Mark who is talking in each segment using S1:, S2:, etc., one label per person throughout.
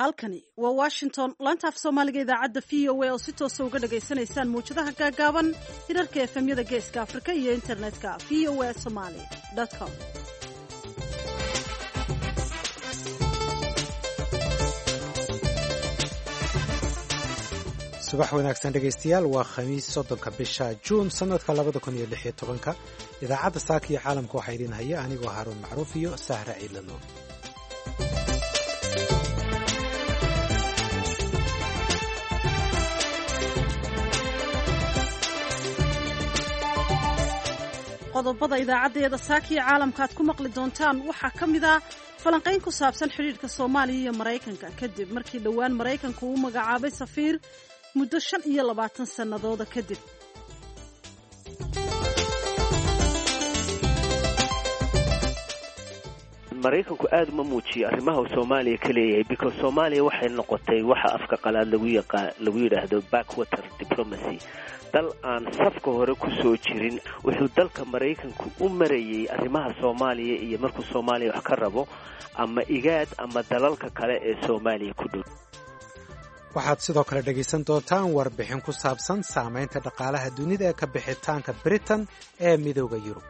S1: Halkani waa Washington, laanta af Soomaaliga, idaacadda VOA oo si toosa uga dhagaysanaysaan mawjadaha gaagaaban, hirarka FM-yada Geeska Afrika iyo internetka voasomali.com.
S2: Subax wanaagsan dhegaystayaal. Waa Khamiis, 30-ka bisha Juun sanadka 2016-ka. Idaacadda saaka iyo caalamka waxaa idiin haya anigoo Haaruun Macruuf iyo Sahra Ciidla Nuur.
S1: Qodobada idaacaddeeda saakiyo caalamka aad ku maqli doontaan waxaa ka mid ah falanqayn ku saabsan xidhiidhka Soomaaliya iyo Maraykanka, kadib markii dhowaan Maraykanku uu magacaabay safiir muddo 25 sannadooda kadib.
S3: Maraykanku aada uma muujiyo arrimaha uu Soomaaliya ka leeyahay, because Soomaaliya waxay noqotay waxa afka qalaad lagu yaqaa lagu yidhaahdo backwater diplomacy, dal aan safka hore ku soo jirin. Wuxuu dalka Maraykanku u marayey arrimaha Soomaaliya iyo markuu Soomaaliya wax ka rabo ama IGAD ama dalalka kale ee Soomaaliya ku dhow.
S2: Waxaad sidoo kale dhegaysan doontaan warbixin ku saabsan saamaynta dhaqaalaha dunida ee ka bixitaanka Britain ee Midooda Yurub.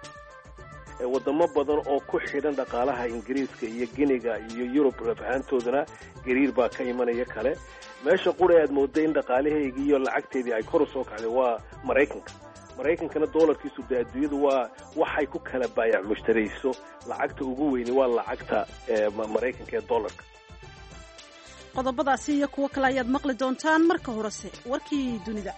S4: Wadamo badan oo ku xidhan dhaqaalaha Ingiriiska iyo Giniga iyo Yurub rafahaantoodana gariir baa ka imanaya. Kale meesha qura aad mooday in dhaqaalaheygii iyo lacagteedii ay kor u soo kacday waa Maraykanka. Maraykankana doolarkiisu dee adduunyadu waa waxay ku kala baayac mushtarayso. Lacagta ugu weyni waa lacagta Maraykanka ee doolarka.
S1: Qodobadaasi iyo kuwo kale ayaad maqli doontaan. Marka horese warkii dunida.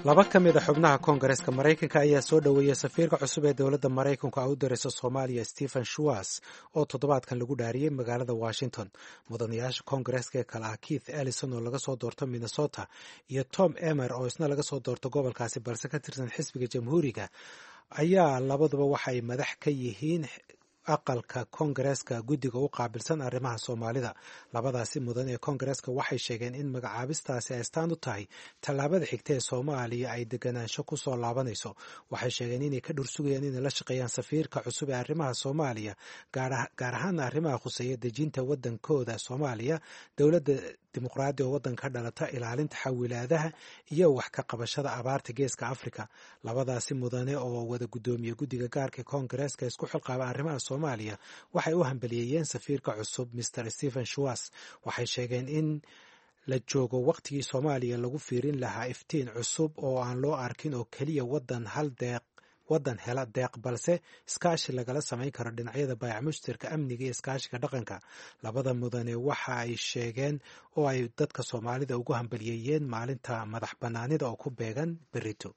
S2: Laba ka mid a xubnaha Koongareeska Maraykanka ayaa soo dhoweeyey safiirka cusub ee dowladda Maraykanku ay u dirayso Soomaaliya, Stephen Shuas, oo toddobaadkan lagu dhaariyey magaalada Washington. Mudanayaasha Koongareeska ee kale ah Keith Ellison oo laga soo doorto Minnesota iyo Tom Emer oo isna laga soo doorto gobolkaasi balse ka tirsan xisbiga Jamhuuriga ayaa labaduba waxa ay madax ka yihiin aqalka Koongareeska guddiga u qaabilsan arrimaha Soomaalida. Labadaasi mudan ee Koongareeska waxay sheegeen in magacaabistaasi ay astaan u tahay tallaabada xigta ee Soomaaliya ay deganaansho ku soo laabanayso. Waxay sheegeen inay ka dhursugayaan inay la shaqeeyaan safiirka cusub ee arrimaha Soomaaliya, gaar ahaana arrimaha khuseeya dejinta waddankooda Soomaaliya, dowladda dimuqraadi oo waddanka ka dhalata, ilaalinta xawilaadaha iyo wax ka qabashada abaarta Geeska Afrika. Labadaasi mudane oo wada guddoomiye guddiga gaarka Koongareeska isku xilqaaba arrimaha Soomaaliya waxay u hambaliyeeyeen safiirka cusub, Mr Stephen Shuas. Waxay sheegeen in la joogo wakhtigii Soomaaliya lagu fiirin lahaa iftiin cusub oo aan loo arkin oo keliya waddan hal deeq waddan hela deeq, balse iskaashi lagala samayn karo dhinacyada baayac mushtarka, amniga iyo iskaashiga dhaqanka. Labada mudane waxa ay sheegeen oo ay dadka Soomaalida ugu hambaliyeeyeen maalinta madax bannaanida oo ku beegan berito.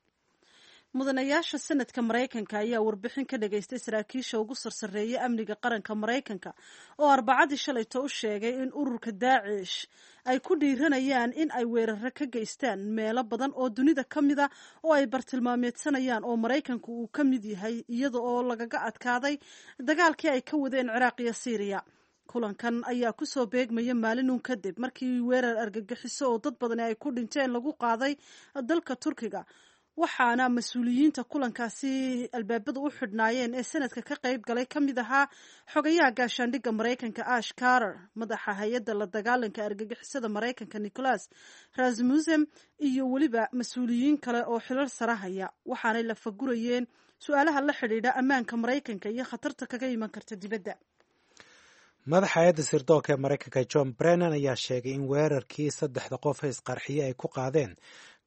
S1: Mudanayaasha Sanadka Maraykanka ayaa warbixin ka dhageystay saraakiisha ugu sarsareeya amniga qaranka Maraykanka oo Arbacadii shalayto u sheegay in ururka Daacish ay ku dhiiranayaan in ay weeraro ka geystaan meelo badan oo dunida ka mid a oo ay bartilmaameedsanayaan oo Maraykanku uu ka mid yahay, iyada oo lagaga adkaaday dagaalkii ay ka wadeen Ciraaq iyo Siiriya. Kulankan ayaa kusoo beegmaya maalin uun kadib markii weerar argagixiso oo dad badani ay ku dhinteen lagu qaaday dalka Turkiga, waxaana mas-uuliyiinta kulankaasi albaabada u xidhnaayeen ee Sanadka ka qayb galay ka mid ahaa xogayaha gaashaandhigga Maraykanka Ash Carter, madaxa hay-adda la dagaalanka argagixisada Maraykanka Nicholas Rasmussen iyo weliba mas-uuliyiin kale oo xilal sarahaya. Waxaanay la fagurayeen su-aalaha la xidhiidha ammaanka Maraykanka iyo khatarta kaga iman karta dibadda.
S2: Madaxa hay-adda sirdoonka ee Maraykanka John Brennan ayaa sheegay in weerarkii saddexda qof ee isqarxiye ay ku qaadeen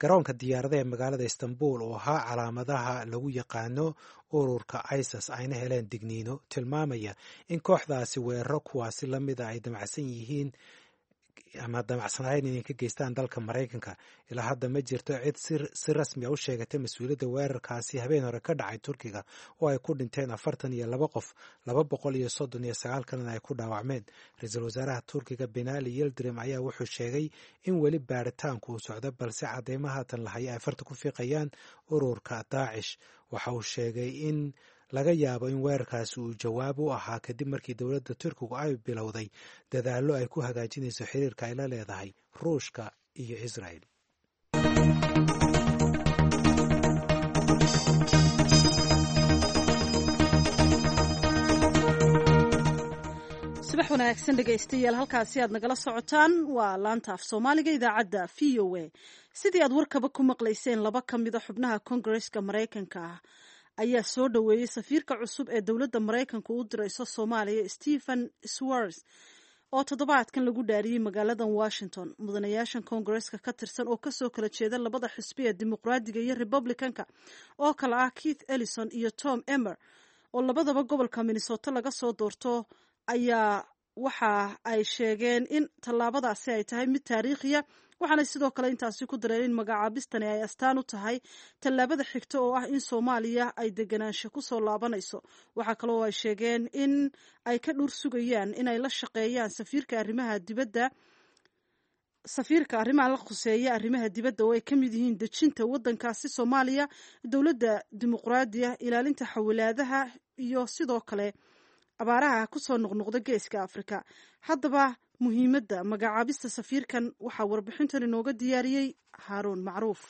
S2: garoonka diyaaradaha ee magaalada Istanbul oo ahaa calaamadaha lagu yaqaano ururka ISIS, ayna heleen digniino tilmaamaya in kooxdaasi weeraro kuwaasi la mida ay damacsan yihiin ama damacsanayn inay ka geystaan dalka Maraykanka. Ilaa hadda ma jirto cid si rasmi a u sheegatay mas-uuliyadda weerarkaasi habeen hore ka dhacay Turkiga oo ay ku dhinteen 42 qof, 239 kalena ay ku dhaawacmeen. Ra-iisul wasaaraha Turkiga Binali Yildirim ayaa wuxuu sheegay in weli baaritaanku uu socdo, balse cadeymo haatan lahaya ay farta ku fiiqayaan ururka Daacish. Waxa uu sheegay in laga yaabo in weerarkaasi uu jawaab u ahaa kadib markii dowladda Turkigu ay bilowday dadaallo ay ku hagaajinayso xiriirka ay la leedahay Ruushka iyo Israel.
S1: Subax wanaagsan dhegaystayaal, halkaasi aad nagala socotaan waa laanta af Soomaaliga idaacadda VOA. Sidii aad warkaba ku maqlayseen, laba ka mida xubnaha Kongareska Maraykanka ah ayaa soo dhoweeyey safiirka cusub ee dowladda Maraykanka u dirayso Soomaaliya, Stephen Schwartz, oo toddobaadkan lagu dhaariyey magaalada Washington. Mudanayaashan Koongareska ka tirsan oo kasoo kala jeeda labada xisbi ee Dimuqraadiga iyo Republicanka, oo kale ah Keith Ellison iyo Tom Emmer, oo labadaba gobolka Minnesota laga soo doorto, ayaa waxa ay sheegeen in tallaabadaasi ay tahay mid taariikhiya. Waxaanay sidoo kale intaasi ku dareen in magacaabistani ay astaan u tahay tallaabada xigta oo ah in Soomaaliya ay deganaansho kusoo laabanayso. Waxaa kaloo ay sheegeen in ay ka dhur sugayaan inay la shaqeeyaan safiirka arrimaha dibadda, safiirka arrimaha la khuseeya arrimaha dibadda, oo ay ka mid yihiin dejinta waddankaasi Soomaaliya dowladda dimuqraadiya, ilaalinta xawilaadaha iyo sidoo kale abaaraha kusoo noqnoqda Geeska Afrika. Haddaba muhiimadda magacaabista safiirkan waxaa warbixintan inooga diyaariyey Haaruun Macruuf.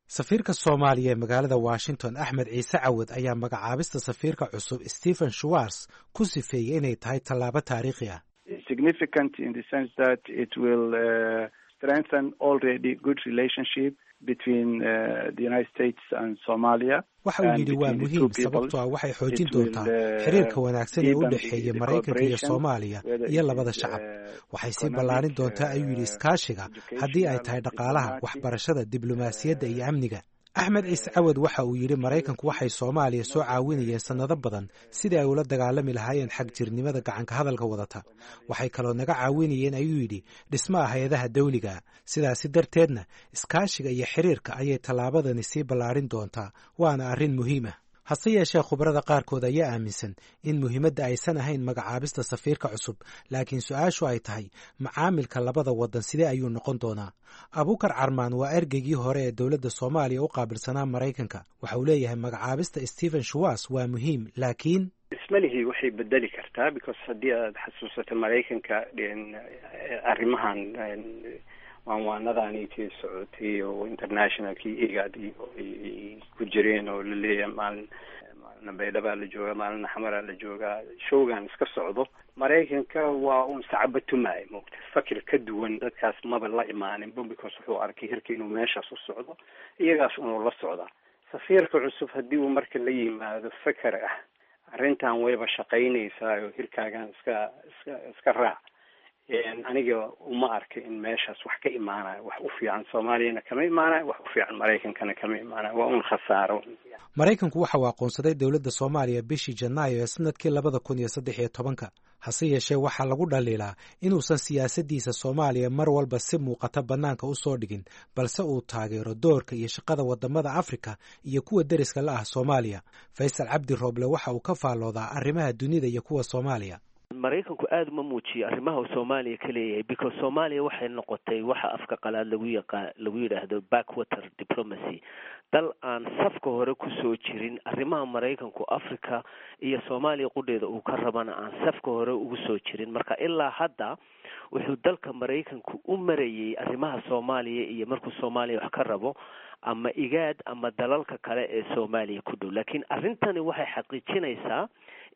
S2: Safiirka Soomaaliya ee magaalada Washington, Axmed Ciise Cawad, ayaa magacaabista safiirka cusub Stephen Schwartz ku sifeeyey inay tahay tallaabo taariikhi ah.
S5: Significant in the sense that it will strengthen already good relationship between the United States and Somalia.
S2: Waxa uu yidhi, waa muhiim, sababtoo ah waxay xoojin doontaa xiriirka wanaagsan ee u dhexeeya Maraykanka iyo Soomaaliya iyo labada shacab. Waxay sii ballaarin doontaa, ayuu yidhi, iskaashiga, haddii ay tahay dhaqaalaha, waxbarashada, diblomaasiyadda iyo amniga. Axmed Ciise Cawad waxa uu yidhi, Maraykanku waxay Soomaaliya soo caawinayeen sannado badan sidii ay ula dagaalami lahaayeen xagjirnimada gacanka hadalka wadata. Waxay kaloo naga caawinayeen, ayuu yidhi, dhismaha hay-adaha dawliga. Sidaasi darteedna iskaashiga iyo xiriirka ayay tallaabadani sii ballaarin doontaa, waana arrin muhiim ah. Hase yeeshee, khubarada qaarkood ayaa aaminsan in muhiimadda aysan ahayn magacaabista safiirka cusub, laakiin su-aashu ay tahay macaamilka labada waddan sidee ayuu noqon doonaa. Abuukar Carmaan waa ergeygii hore ee dowladda Soomaaliya u qaabilsanaa Maraykanka. Waxa uu leeyahay, magacaabista Stephen Schwartz waa muhiim, laakiin
S6: ismalihii waxay bedeli kartaa, because haddii aad xasuusato Maraykanka arrimahan waanwaanadaanitii socotay oo internationalkii IGAD ay ku jireen oo laleeyahay maalin maalina Baydhabaa la joogaa, maalina Xamaraa la joogaa, showgan iska socdo, Maraykanka waa uun sacabatumaayo moogta, fakir ka duwan dadkaas maba la imaaninba, because wuxuu arkay hirka inuu meeshaas u socdo, iyagaas unuu la socdaa. Safiirka cusub haddii uu marka la yimaado feker ah arrintan wayba shaqaynaysaa oo hirkaagan iska raac, aniga uma arka in meeshaas wax ka imaanayo. Wax u fiican Soomaaliyana kama imaanayo, wax u fiican Maraykankana kama imaanayo, waa un khasaaro.
S2: Maraykanku waxa uu aqoonsaday dowladda Soomaaliya bishii Janaayo ee sanadkii 2013-ka. Hase yeeshee, waxaa lagu dhaliilaa inuusan siyaasaddiisa Soomaaliya mar walba si muuqata bannaanka u soo dhigin, balse uu taageero doorka iyo shaqada waddamada Afrika iyo kuwa deriska la ah Soomaaliya. Faysal Cabdi Rooble waxa uu ka faalloodaa arrimaha dunida iyo kuwa Soomaaliya.
S3: Maraykanku aada uma muujiyo arrimaha uu Soomaaliya ka leeyahay, because Soomaaliya waxay noqotay waxa afka qalaad lagu yaqa lagu yidhaahdo backwater diplomacy, dal aan safka hore kusoo jirin arrimaha Maraykanku Africa iyo Soomaaliya qudheeda uu ka rabana aan safka hore ugu soo jirin. Marka ilaa hadda wuxuu dalka Maraykanku u marayey arrimaha Soomaaliya iyo markuu Soomaaliya wax ka rabo ama IGAD ama dalalka kale ee Soomaaliya ku dhow. Laakiin arrintani waxay xaqiijinaysaa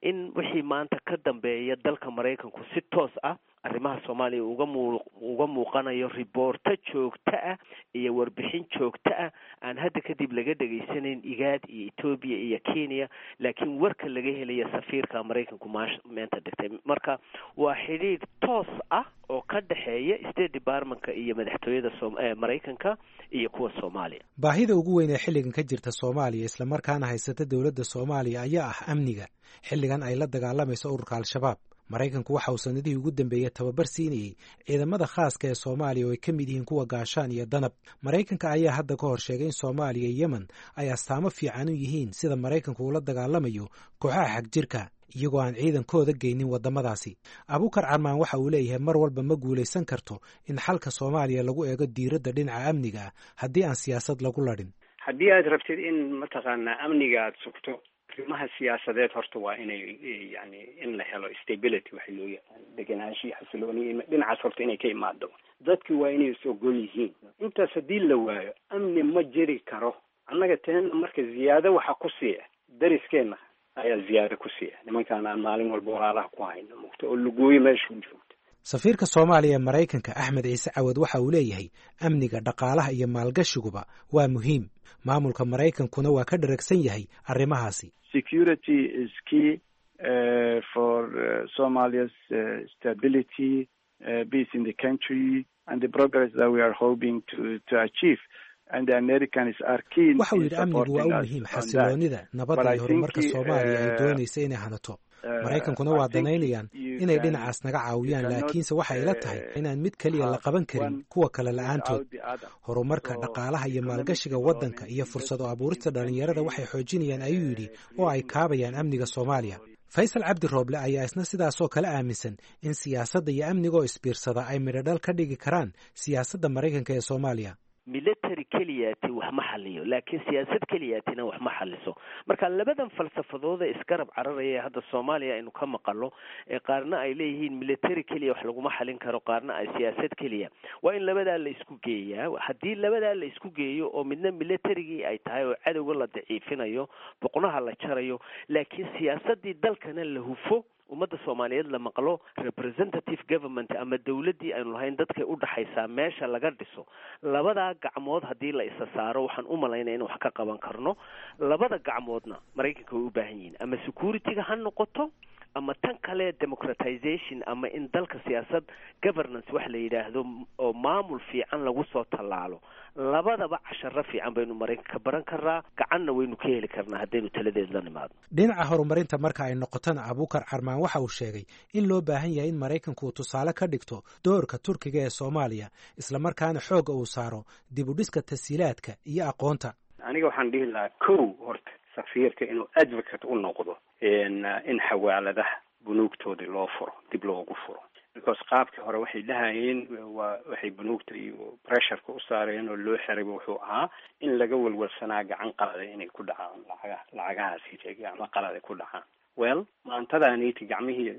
S3: in wixii maanta ka dambeeya dalka Maraykanku si toos ah arrimaha Soomaaliya uga muuqanayo, riboorto joogto ah iyo warbixin joogto ah aan hadda kadib laga dhegaysanayn IGAD iyo Etoobiya iyo Kenya, laakiin warka laga helaya safiirka Maraykanku meenta dhigtay. Marka waa xidhiidh toos ah oo ka dhexeeya State Departmentka iyo madaxtooyada Maraykanka iyo kuwa Soomaaliya.
S2: Baahida ugu weyn ee xilligan ka jirta Soomaaliya, islamarkaana haysata dowladda Soomaaliya, ayaa ah amniga, xilligan ay la dagaalamayso ururka Al-Shabaab. Maraykanku waxa uu sanadihii ugu dambeeyey tababar siinayey ciidamada khaaska ee Soomaaliya, oo ay ka mid yihiin kuwa Gaashaan iyo Danab. Maraykanka ayaa hadda ka hor sheegay in Soomaaliya iyo Yemen ay astaamo fiican u yihiin sida Maraykanku ula dagaalamayo kooxaha xagjirka, iyagoo aan ciidankooda geynin waddamadaasi. Abuukar Carmaan waxa uu leeyahay, mar walba ma guulaysan karto in xalka Soomaaliya lagu eego diiradda dhinaca amniga ah haddii aan siyaasad lagu ladhin.
S6: Haddii aad rabtid in mataqaanaa amniga aada sugto, arrimaha siyaasadeed horta waa inay yani in la helo stability, waxa loo yaqaan degenaanshihi, xasilooni dhinacaas horta inay ka imaado. Dadki waa inay is ogol yihiin. Intaas haddii la waayo, amni ma jiri karo. Annaga teena marka ziyaado waxa ku siiya dariskeenna Ayaa ziyaado ku siiya nimankaan aan maalin walba walaalaha ku hayno mugta oo lugooyo meesha u joogto.
S2: Safiirka Soomaaliya ee Maraykanka, Axmed Ciise Cawad, waxa uu leeyahay amniga, dhaqaalaha iyo maalgashiguba waa muhiim, maamulka Maraykankuna waa ka dharagsan yahay arrimahaasi.
S5: Security is key for Somalia's stability, peace in the country and the progress that we are hoping to achieve.
S2: Waxa uu yidhi amnigu waa u muhiim xasiloonida, nabadda iyo horumarka Soomaaliya ay doonaysa inay hanato. Maraykankuna waa danaynayaan inay dhinacaas naga caawiyaan, laakiinse waxay ila tahay inaan mid keliya la qaban karin kuwa kale la-aantood. Horumarka dhaqaalaha iyo maalgashiga waddanka iyo fursado abuurista dhallinyarada waxay xoojinayaan, ayuu yidhi, oo ay kaabayaan amniga Soomaaliya. Faysal Cabdi Rooble ayaa isna sidaasoo kale aaminsan in siyaasadda iyo amniga oo isbiirsada ay midhodhal ka dhigi karaan siyaasadda Maraykanka ee Soomaaliya.
S3: Military keliyaati wax ma xaliyo, laakiin siyaasad keliyaatina wax ma xaliso. Marka labadan falsafadooda isgarab cararaya ee hadda Soomaaliya aynu ka maqalo, ee qaarna ay leeyihiin military keliya wax laguma xalin karo, qaarna ay siyaasad keliya, waa in labadaa la isku geeyaa. Haddii labadaa la isku geeyo oo midna militarigii ay tahay oo cadowga la daciifinayo, boqnaha la jarayo, laakiin siyaasadii dalkana la hufo, ummadda Soomaaliyeed la maqlo, representative government ama dawladdii aynu lahayn dadkay u dhaxaysaa meesha laga dhiso, labadaa gacmood haddii la isa saaro, waxaan u malaynaya in wax ka qaban karno. Labada gacmoodna Maraykanka way u baahan yihiin, ama security-ga ha noqoto ama tan kale democratization, ama in dalka siyaasad governance wax la yidhaahdo oo maamul fiican lagu soo tallaalo. Labadaba casharo fiican baynu Maraykanka ka baran karnaa, gacanna waynu ka heli karnaa haddaynu taladeed la nimaadno.
S2: Dhinaca horumarinta marka ay noqotona, Abuukar Carmaan waxa uu sheegay in loo baahan yahay in Maraykanku uu tusaale ka dhigto doorka Turkiga ee Soomaaliya, islamarkaana xoogga uu saaro dib u dhiska tasiilaadka iyo aqoonta.
S6: Aniga waxaan dhihi lahaa, kow, horta safiirka inuu advocate u noqdo in xawaaladaha bunuugtoodii loo furo, dib loogu furo, because qaabkii hore waxay dhahayeen waa waxay bunuugta iyo pressureka u saareen oo loo xirayba wuxuu ahaa in laga walwalsanaa gacan qalada inay ku dhacaan lacagaha, lacagahaasi gacmo qalada ku dhacaan. Well, maantadaaniti gacmihii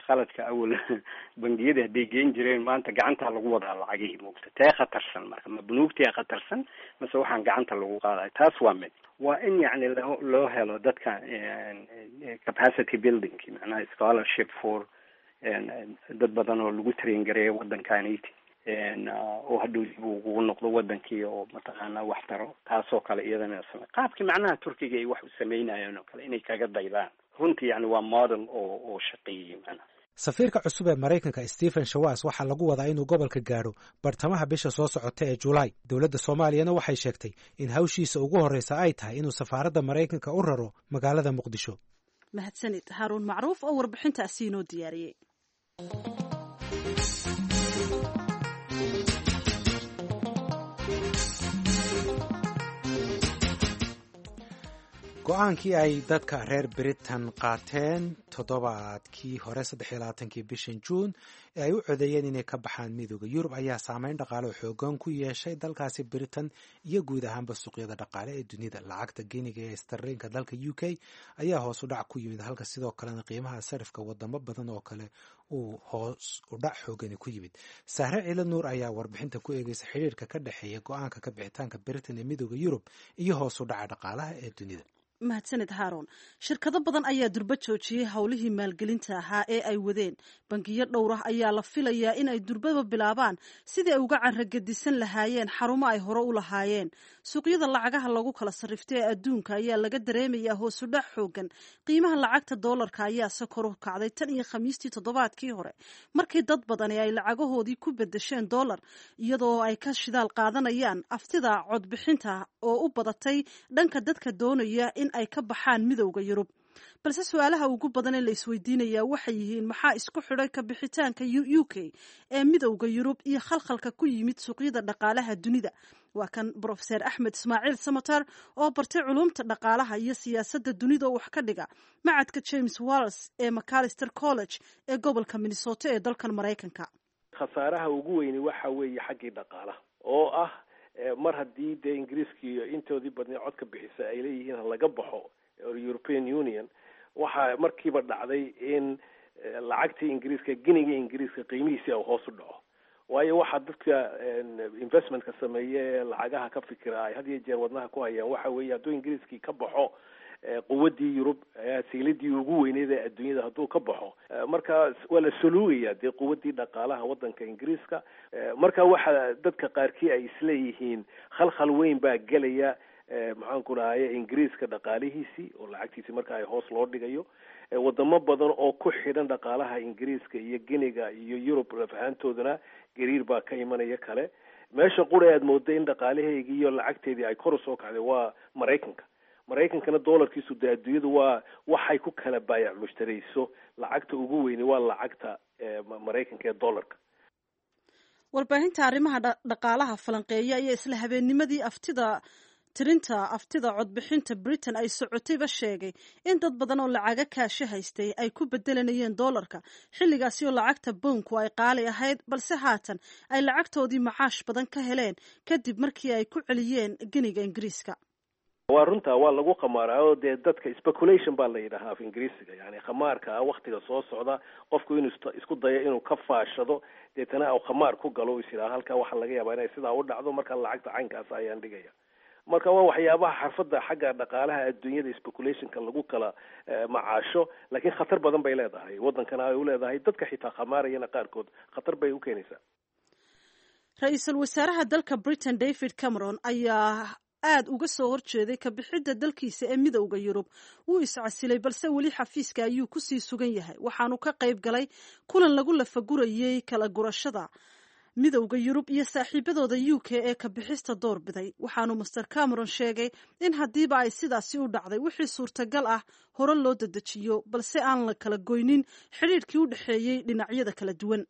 S6: khaladka awal bangiyada hadday geen jireen, maanta gacantaa lagu wadaa lacagihii moogta. Tee khatarsan marka? Ma bunuugtiyaa khatarsan mase waxaan gacanta lagu qaadayo? Taas waa mid. Waa in yacni loo helo dadka capacity building, macnaha scholarship for dad badan oo lagu train gareeyo waddankaniti oo hadhow dib ugu noqdo wadankii oo mataqaanaa wax taro. Taasoo kale iyadana same qaabkii macnaha Turkiga ay wax u sameynayeen oo kale inay kaga daydaan. Runtii yani waa model oo shaqeeyey macnaha.
S2: Safiirka cusub ee Maraykanka, Stephen Shawas, waxaa lagu wadaa inuu gobolka gaadho bartamaha bisha soo socota ee Julaay. Dowladda Soomaaliyana waxay sheegtay in hawshiisa ugu horreysa ay tahay inuu safaaradda Maraykanka u raro magaalada Muqdisho.
S1: Mahadsanid, Haaruun Macruuf, oo warbixintaasi inoo diyaariyey.
S2: Go-aankii ay dadka reer Britain qaateen toddobaadkii hore, 23-kii bishan Juun, ee ay u codeeyeen inay ka baxaan Midooda Yurub ayaa saameyn dhaqaale oo xoogan ku yeeshay dalkaasi Britain iyo guud ahaanba suuqyada dhaqaale ee dunida. Lacagta giniga ee starliinka dalka UK ayaa hoos u dhac ku yimid, halka sidoo kalena qiimaha sarifka wadamo badan oo kale uu hoos u dhac xoogani ku yimid. Sahre Ciila Nuur ayaa warbixinta ku eegeysa xiriirka ka dhexeeya go-aanka ka bixitaanka Britain ee Midooda Yurub iyo hoos u dhaca dhaqaalaha ee dunida.
S1: Mahadsanid, Haaroon. Shirkado badan ayaa durba joojiyey howlihii maalgelinta ahaa ee ay wadeen. Bangiyo dhowr ah ayaa la filayaa in ay durbaba bilaabaan sidii ay uga caragedisan lahaayeen xarumo ay hore u lahaayeen. Suuqyada lacagaha lagu kala sarrifta ee adduunka ayaa laga dareemayaa hoosudhac xoogan. Qiimaha lacagta doolarka ayaa se kor u kacday tan iyo Khamiistii toddobaadkii hore, markii dad badani ay lacagahoodii ku bedesheen doolar, iyadoo ay ka shidaal qaadanayaan aftida codbixinta oo u badatay dhanka dadka doonaya in ay ka baxaan Midowda Yurub. Balse su-aalaha ugu badan ee la isweydiinayaa waxay yihiin: maxaa isku xidhay ka bixitaanka UK ee Midowda Yurub iyo khalkhalka ku yimid suuqyada dhaqaalaha dunida? Waa kan Brofeser Axmed Ismaaciil Samatar oo bartay culumta dhaqaalaha iyo siyaasadda dunida oo wax ka dhiga macadka James Wallis ee Macalister College ee gobolka Minnesota ee dalkan Maraykanka.
S4: Khasaaraha ugu weyni waxa weeye xaggii dhaqaalaha, oo ah mar haddii dee Ingiriiskii intoodii badnay codka bixisa ay leeyihiin ha laga baxo European Union, waxaa markiiba dhacday in lacagtii Ingiriiska, giniga Ingiriiska, qiimihiisii u hoos u dhaco, waayo waxaa dadka investmentka sameeya ee lacagaha ka fikira ay had iyo jeer wadnaha ku hayaan waxa weeye hadduu Ingiriiskii ka baxo Quwaddii Yurub, sayladii ugu weyneyd ee adduunyada hadduu ka baxo, marka waa la soluugaya dee quwaddii dhaqaalaha waddanka Ingiriiska. Marka waxa dadka qaarkii ay isleeyihiin khalkhal weyn baa gelaya, maxaan ku dhahaye, Ingiriiska dhaqaalihiisii oo lacagtiisii marka ay hoos loo dhigayo. Wadamo badan oo ku xidhan dhaqaalaha Ingiriiska iyo Giniga iyo Yurub lafahaantoodana gariir baa ka imanaya kale. Meesha qura aad mooda in dhaqaalaheygii iyo lacagteedii ay kor usoo kacday waa Maraykanka. Maraykankana doolarkiisu dee adduunyadu waa waxay ku kala baayac mushtarayso, lacagta ugu weyni waa lacagta Maraykanka ee dollarka.
S1: Warbaahinta arrimaha dhaqaalaha falanqeeya ayaa isla habeennimadii aftida tirinta aftida codbixinta Britain ay socotayba sheegay in dad badan oo lacaga kaasho haystay ay ku bedelanayeen doolarka, xilligaasi oo lacagta bownku ay qaali ahayd, balse haatan ay lacagtoodii macaash badan ka heleen kadib markii ay ku celiyeen geniga Ingiriiska.
S4: Waa runta, waa lagu khamaaraa oo dee dadka speculation baa la yidhahaa af Ingiriisiga, yani khamaarka ah waktiga soo socda qofku inuu isku dayo inuu ka faashado, deetana uu khamaar ku galo, is yidhaha halkaa waxaa laga yaabaa inay sidaa u dhacdo, marka lacagta caynkaas ayaan dhigaya. Marka waa waxyaabaha xarfadda xagga dhaqaalaha adduunyada speculationka lagu kala macaasho, laakiin khatar badan bay leedahay waddankana ay u leedahay, dadka xitaa khamaarayana qaarkood khatar bay u keenaysaa.
S1: Ra-iisul wasaaraha dalka Britain David Cameron ayaa aada uga soo horjeeday kabixidda dalkiisa ee Midowda Yurub. Wuu iscasilay, balse weli xafiiska ayuu kusii sugan yahay. Waxaanu ka qayb galay kulan lagu lafagurayey kala gurashada Midowda Yurub iyo saaxiibadooda UK ee kabixista doorbiday. Waxaanu Master Cameron sheegay in haddiiba ay sidaasi u dhacday, wixii suurtagal ah hore loo dedejiyo, balse aan la kala goynin xidhiidhkii u dhexeeyey dhinacyada kala duwan.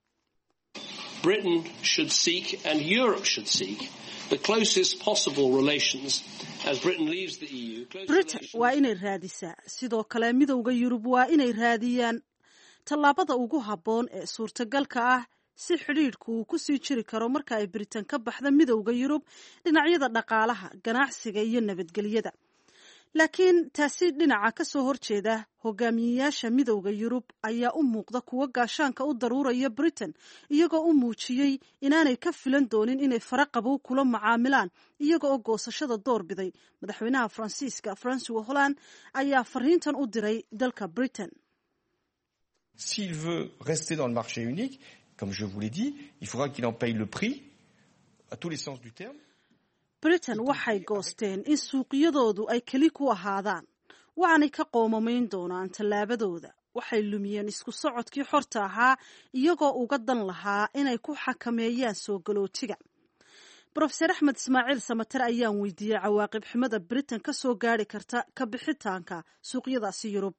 S7: Britain should seek and Europe should seek the closest possible relations as Britain leaves the EU.
S1: Britain waa inay raadisaa, sidoo kale Midowda Yurub waa inay raadiyaan tallaabada ugu habboon ee suurtagalka ah si xidhiidhku uu ku sii jiri karo marka ay Britain ka baxda Midowda Yurub, dhinacyada dhaqaalaha, ganacsiga iyo nabadgelyada. Laakiin taasi dhinaca ka soo horjeeda hogaamiyeyaasha Midowda Yurub ayaa u muuqda kuwo gaashaanka u daruuraya Britain, iyagoo u muujiyey inaanay ka filan doonin inay faraqabow kula macaamilaan iyaga oo goosashada door biday. Madaxweynaha Faransiiska Francois Holland ayaa fariintan u diray dalka Britain.
S8: S'il veut rester dans le marché unique, comme je vous l'ai dit, il faudra qu'il en paye le prix à tous les sens du terme.
S1: Britain waxay goosteen in suuqyadoodu ay keli ku ahaadaan, waxaanay ka qoomamayn doonaan tallaabadooda. Waxay lumiyeen isku socodkii xorta ahaa iyagoo uga dan lahaa inay ku xakameeyaan soo galootiga. Brofeser Axmed Ismaaciil Samater ayaan weydiiyey cawaaqib xumada Britain ka soo gaari karta ka bixitaanka suuqyadaasi Yurub.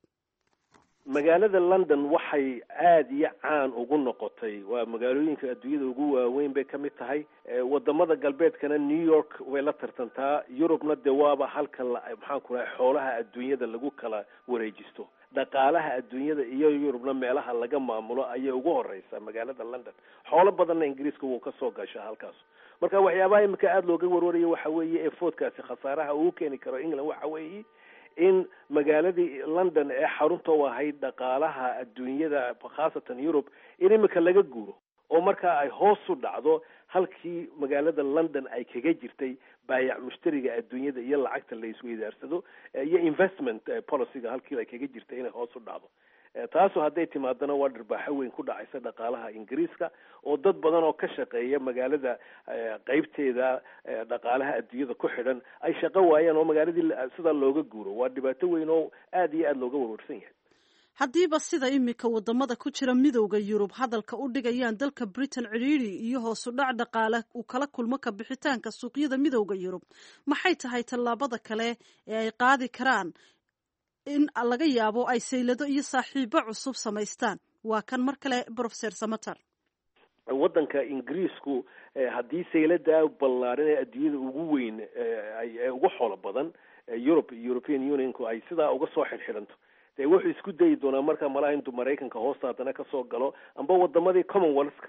S4: Magaalada London waxay aada iyo caan ugu noqotay, waa magaalooyinka adduunyada ugu waaweyn bay ka mid tahay. Wadamada galbeedkana New York way la tartantaa, Yurubna dee waaba halka maxaan ku rahay xoolaha adduunyada lagu kala wareejisto, dhaqaalaha adduunyada iyo Yurubna meelaha laga maamulo ayay ugu horeysaa magaalada London. Xoolo badanna Ingiriiska wuu kasoo gashaa halkaas. Marka waxyaabaha imika aada looga warwaraya waxa weeye ee foodkaasi khasaaraha uu keeni karo England waxa weeye in magaaladii London ee xarunta u ahayd dhaqaalaha adduunyada, khaasatan Yurub, in imika laga guuro oo markaa ay hoos u dhacdo halkii magaalada London ay kaga jirtay baayac mushtariga adduunyada iyo lacagta la isweydaarsado iyo investment policyga halkii ay kaga jirtay inay hoos u dhacdo. Taasoo hadday timaadana waa dharbaaxo weyn ku dhacaysa dhaqaalaha Ingiriiska, oo dad badan oo ka shaqeeya magaalada qeybteeda dhaqaalaha adduunyada ku xidhan ay shaqo waayaan oo magaaladii sidaa looga guuro. Waa dhibaato weyn oo aada iyo aada looga warwarsan yahay.
S1: Haddiiba sida iminka wadamada ku jira Midowda Yurub hadalka u dhigayaan dalka Britain cidhiidhi iyo hoosu dhac dhaqaale uu kala kulmo ka bixitaanka suuqyada Midowda Yurub, maxay tahay tallaabada kale ee ay qaadi karaan in laga yaabo ay saylado iyo saaxiibo cusub samaystaan? Waa kan mar kale Brofeser Samater.
S4: Waddanka Ingiriisku haddii sayladaa ballaaran ee adduunyada ugu weyn ee ugu xoolo badan Europe, European Unionku, ay sidaa uga soo xidhxidhanto, dee wuxuu isku dayi doonaa markaa malaha intuu Maraykanka hoosta haddana kasoo galo amba wadamadii Commonwealthka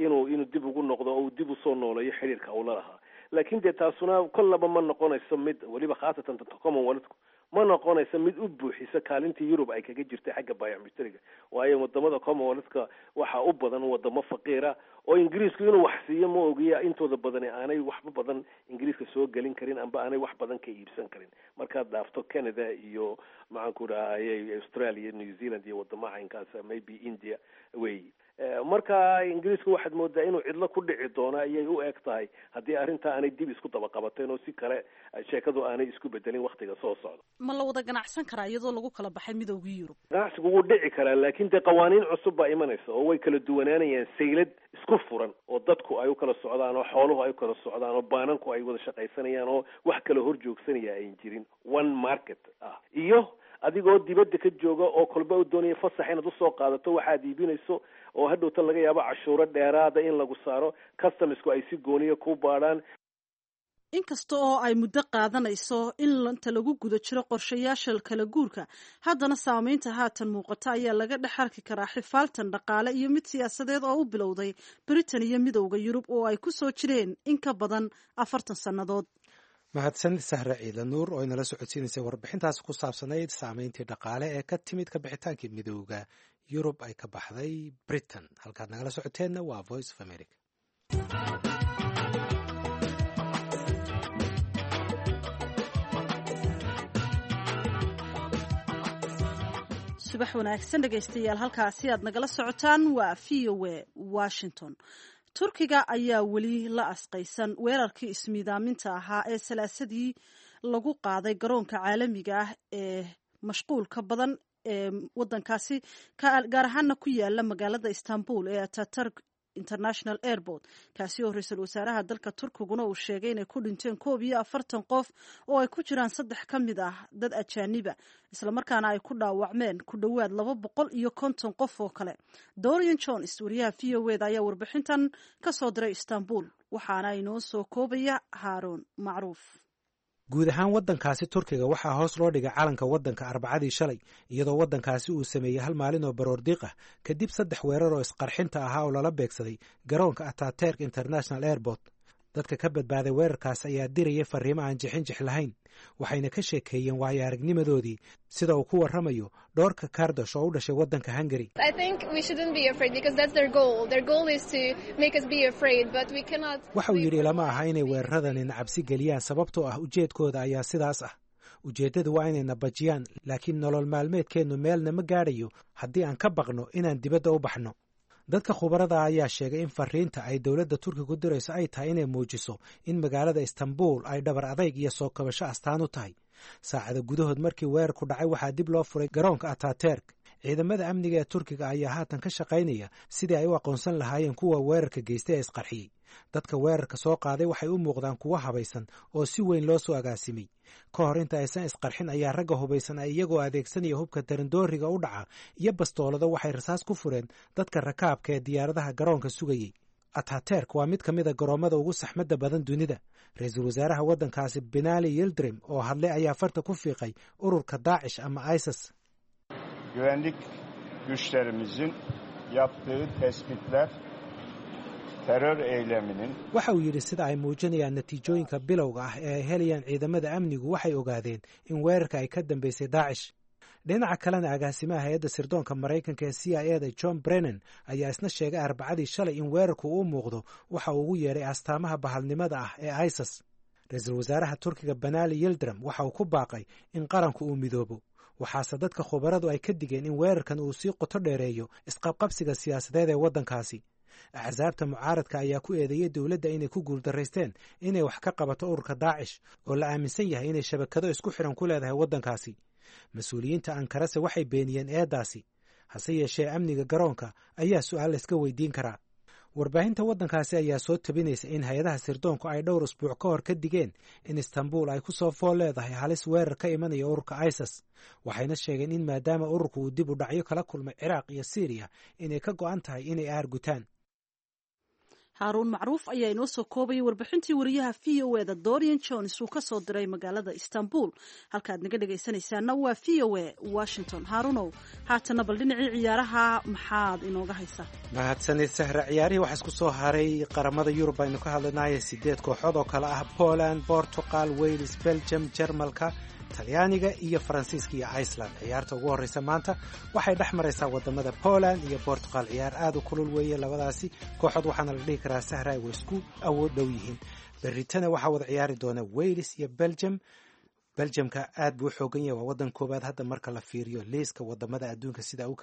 S4: inuu dib ugu noqdo oo uu dib usoo nooleeyo xiriirka ula lahaa. Laakiin dee taasuna kollaba ma noqonayso mid weliba, khaasatan Commonwealthku ma noqonayso mid u buuxisa kaalintii Yurub ay kaga jirtay xagga baayac mushtariga, waayo wadamada Commonwealthka waxaa u badan wadamo faqiira Oo Ingiriisku inuu wax siiyo ma ogiya, intooda badani aanay waxba badan Ingiriiska soo gelin karin amba aanay wax badan ka iibsan karin, markaad dhaafto Canada iyo, maxaan ku dhahayay, Australia, New Zealand iyo wadamaha caynkaas, maybe India wey. Marka Ingiriisku waxaad moodaa inuu cidlo ku dhici doono ayay u eg tahay, haddii arrinta aanay dib isku daba qabateen oo si kale sheekadu aanay isku bedelin waktiga soo socda.
S1: Ma la wada ganacsan karaa iyadoo lagu kala baxay Midoogii Yurub?
S4: Ganacsigu wuu dhici karaa, laakiin dee qawaaniin cusub baa imanaysa oo way kala duwanaanayaan. Saylad isku furan oo dadku ay u kala socdaan oo xooluhu ay u kala socdaan oo baananku ay wada shaqaysanayaan oo wax kala hor joogsanaya ayn jirin, one market ah, iyo adigoo dibadda ka jooga oo kolba u doonaya fasax inaad usoo qaadato waxaad iibinayso, oo hadhowta laga yaabo cashuuro dheeraada in lagu saaro, customsku ay si gooniya ku baadhaan.
S1: Inkasta oo ay muddo qaadanayso in inta lagu guda jiro qorshayaasha kala guurka, haddana saameynta haatan muuqata ayaa laga dhex arki karaa xifaaltan dhaqaale iyo mid siyaasadeed oo u bilowday Britain iyo Midowda Yurub oo ay ku soo jireen in ka badan 40 sannadood.
S2: Mahadsan Sahre Ciidla Nuur oo inala socodsiinaysay warbixintaas ku saabsanayd saameyntii dhaqaale ee ka timid ka bixitaankii Midowda Yurub ay ka baxday Britain. Halkaad nagala socoteenna waa Voice of America.
S1: Subax wanaagsan dhegaystayaal, halkaasi aad nagala socotaan waa V O A Washington. Turkiga ayaa weli la asqaysan weerarkii ismiidaaminta ahaa ee Salaasadii lagu qaaday garoonka caalamiga ah ee mashquulka badan ee wadankaasi, gaar ahaana ku yaala magaalada Istanbul ee Ataturk International Airport, kaasi oo ra-iisul wasaaraha dalka Turkiguna uu sheegay inay ku dhinteen 41 qof oo ay ku jiraan saddex ka mid ah dad ajaaniba, islamarkaana ay ku dhaawacmeen ku dhowaad 250 qof oo kale. Dorian Jones, wariyaha V O eda, ayaa warbixintan ka soo diray Istanbul, waxaana inoo soo koobaya Haaruun Macruuf.
S2: Guud ahaan waddankaasi Turkiga waxaa hoos loo dhigay calanka waddanka Arbacadii shalay, iyadoo waddankaasi uu sameeyey hal maalin oo baroordiiq ah kadib saddex weerar oo isqarxinta ahaa oo lala beegsaday garoonka Ataturk International Airport. Dadka ka badbaaday weerarkaas ayaa dirayay farriimo aan jixinjix lahayn, waxayna ka sheekeeyeen waayo aragnimadoodii, sida uu ku warramayo Dhoorka Kardosh oo u dhashay waddanka Hungary. Waxa uu yidhi, "Ilama aha inay weeraradanina cabsi geliyaan, sababtoo ah ujeedkooda ayaa sidaas ah. Ujeeddadu waa inayna bajiyaan, laakiin nolol maalmeedkeennu meelna ma gaadhayo haddii aan ka baqno inaan dibadda u baxno." Dadka khubarada ayaa sheegay in fariinta ay dowladda Turkiga ku dirayso ay tahay inay muujiso in magaalada Istanbul ay dhabar adayg iyo soo kabasho astaan u tahay. Saacada gudahood markii weerarku dhacay waxaa dib loo furay garoonka Ataturk. Ciidamada amniga ee Turkiga ayaa haatan ka shaqaynaya sidii ay u aqoonsan lahaayeen kuwa weerarka geystay ee isqarxiyey. Dadka weerarka soo qaaday waxay u muuqdaan kuwo habaysan oo si weyn loo soo agaasimay. Ka hor inta aysan isqarxin ayaa ragga hubaysan ay iyagoo adeegsanaya hubka darandooriga u dhaca iyo bastoolado waxay rasaas ku fureen dadka rakaabka ee diyaaradaha garoonka sugayey. Ataturk waa mid ka mid a garoommada ugu saxmadda badan dunida. Ra-iisul wasaaraha waddankaasi Binali Yildirim oo hadlay ayaa farta ku fiiqay ururka Daacish ama ISIS.
S5: Güvenlik güçlerimizin yaptığı tespitler terör eyleminin
S2: Waxa uu yidhi, "Sida ay muujinayaan natiijooyinka bilowga ah ee ay helayaan ciidamada amnigu, waxay ogaadeen in weerarka ay ka dambeysay Daacish." Dhinaca kalena, agaasimaha hay-adda sirdoonka Maraykanka ee CIA da, John Brennan, ayaa isna sheegay Arbacadii shalay in weerarku uu muuqdo waxa uu ugu yeedhay astaamaha bahalnimada ah ee ISIS. Ra-iisul wasaaraha Turkiga Binali Yildirim waxa uu ku baaqay in qaranku uu midoobo, waxaase dadka khubaradu ay ka digeen in weerarkan uu sii qoto dheereeyo isqabqabsiga siyaasadeed ee waddankaasi. Axsaabta mucaaradka ayaa ku eedeeyey dowladda inay ku guuldaraysteen inay wax ka qabato ururka Daacish, oo la aaminsan yahay inay shabakado isku xidhan ku leedahay waddankaasi. Mas-uuliyiinta Ankarase waxay beeniyeen eeddaasi. Hase yeeshee, amniga garoonka ayaa su'aal layska weydiin karaa. Warbaahinta waddankaasi ayaa soo tabinaysa in hay-adaha sirdoonku ay dhowr usbuuc ka hor ka digeen in Istanbul ay ku soo fool leedahay halis weerar ka imanaya ururka ISIS, waxayna sheegeen in maadaama ururku uu dib u dhacyo kala kulmay Ciraaq iyo Siiriya, inay ka go'an tahay inay aargutaan.
S1: Haaruun Macruuf ayaa inoo soo koobayay warbixintii wariyaha V O eda Dorian Jones uu ka soo diray magaalada Istanbul. Halkaad naga dhegaysanaysaana waa V O A Washington. Haaruunow, haatana bal dhinacii ciyaaraha maxaad inooga haysaa?
S2: Mahadsanid Sahra. Ciyaarihii waxaa isku soo haray qaramada Yurub aynu ka hadlanaye, sideed kooxood oo kale ah Poland, Portugal, Wales, Belgium, Jarmalka Talyaaniga iyo Faransiiska iyo Iceland. Ciyaarta ugu horreysa maanta waxay dhex maraysaa wadamada Poland iyo Portugal. Ciyaar aad u kulul weeye labadaasi kooxood, waxaana la dhihi karaa sahray way isku awood dhow yihiin. Berritana waxaa wada ciyaari doona Wales iyo Belgium. Beljamka aad buu u xoogan yahay, waa waddan koowaad hadda marka la fiiriyo liiska wadamada adduunka sida u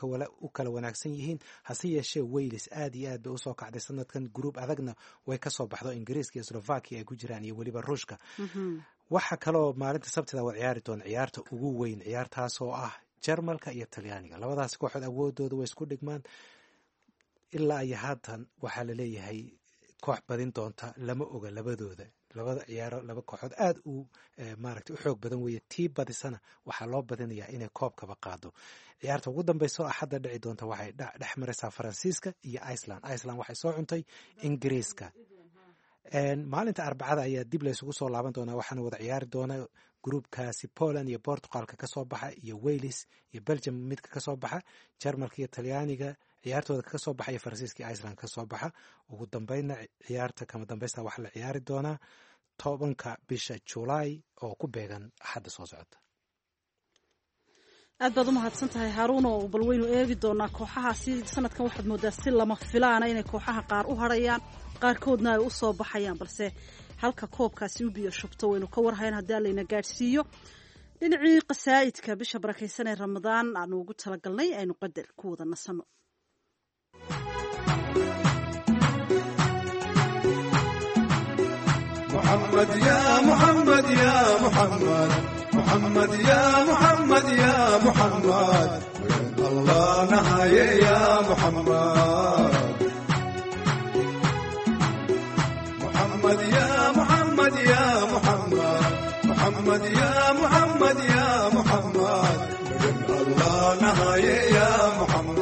S2: kala wanaagsan yihiin. Hase yeeshee Wales aad iyo aad bay usoo kacday sanadkan, gruub adagna way kasoo baxdo, Ingiriiska iyo Slovakia ay ku jiraan iyo weliba Ruushka. Waxaa kaloo maalinta Sabtida wad ciyaari doona ciyaarta ugu weyn, ciyaartaasoo ah Jarmalka iyo Talyaaniga. Labadaasi kooxood awoodooda way isku dhigmaan. Ilaa iyo haatan waxaa laleeyahay koox badin doonta lama oga. Labadooda labada ciyaaro laba kooxood aad u maaragtay u xoog badan weeye. Tii badisana waxaa loo badinayaa inay koobkaba qaado. Ciyaarta ugu dambeysa oo Axadda dhici doonta waxay dhex maraysaa Faransiiska iyo Iceland. Iceland waxay soo cuntay Ingiriiska. Maalinta Arbacada ayaa dib laysugu soo laaban doonaa, waxaana wada ciyaari doona gruubkaasi Poland iyo Portugalka kasoo baxa iyo Wales iyo Belgium midka kasoo baxa, Jarmalka iyo Talyaaniga ciyaartooda kasoo baxa iyo Faransiiska iyo Iceland kasoo baxa. Ugu dambeynna ciyaarta kama dambeysta waxaa la ciyaari doonaa 10-ka bisha Julaay oo ku beegan Axadda soo socota.
S1: Aad baad u mahadsan tahay, Haaruun, oo bal waynu eegi doonaa kooxahaasi. Sanadkan waxaad moodaa si lama filaana inay kooxaha qaar u harayaan, qaarkoodna ay u soo baxayaan, balse halka koobkaasi u biyo shubto waynu ka warhayn haddii Allayna gaadhsiiyo. Dhinacii qasaa'idka bisha barakaysan ee Ramadaan aanu ugu talagalnay aynu qadar ku wada nasano.
S9: محمد يا محمد يا محمد، محمد يا محمد يا محمد، الله نهاية يا محمد. محمد يا محمد يا محمد، محمد يا محمد يا محمد، الله نهاية يا محمد.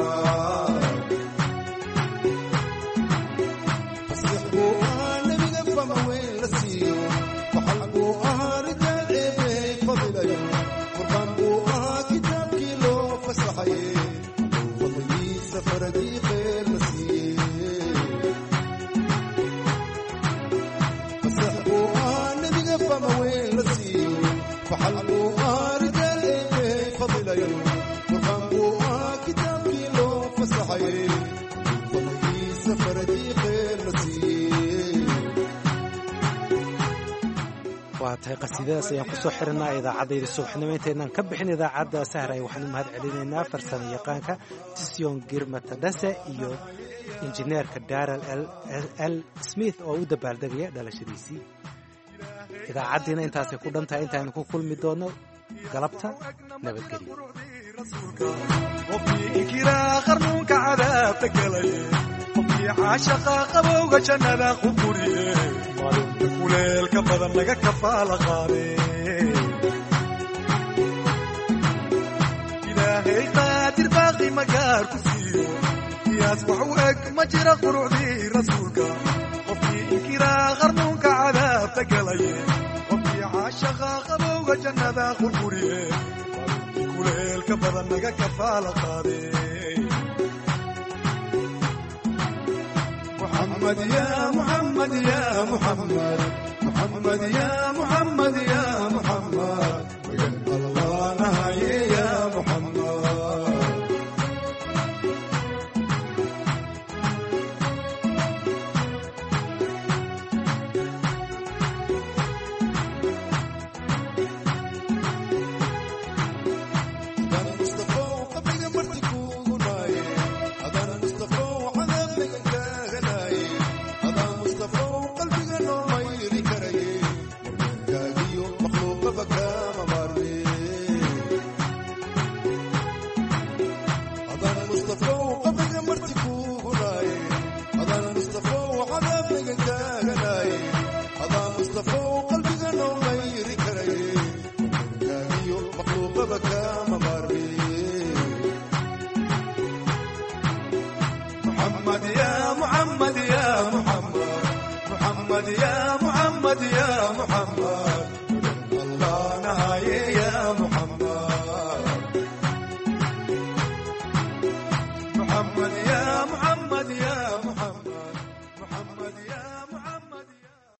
S2: Waa tahay, qasiidadaas ayaan kusoo xirinaa idaacaddayda subaxnimo. Intaynaan ka bixin idaacadda, Sahray, waxaan u mahad celinaynaa farsamo yaqaanka Tisyon Girmatadhase iyo injineerka Daral L Smith oo u dabaaldegaya dhalashadiisii. Idaacaddiina intaasay ku dhan tahay. Intaaynu ku kulmi doono galabta, nabadgelyo.
S9: Qofkii caashaqa qabowga jannada ku guriye, maalinta kuleelka badan laga kafaala qaade. Ilaahay qaadir baaqi magaar ku siiyo, qiyaas wax u eg ma jira qurucdii rasuulka. Qofkii inkiraa qarnuunka cadaabta galaye, qofkii caashaqa qabowga jannada ku guriye, maalinta kuleelka badan laga kafaala qaade. محمد يا محمد يا محمد، محمد يا محمد يا محمد، الله نهاية يا محمد. محمد يا محمد يا محمد، محمد يا محمد يا محمد، الله نهاية يا محمد.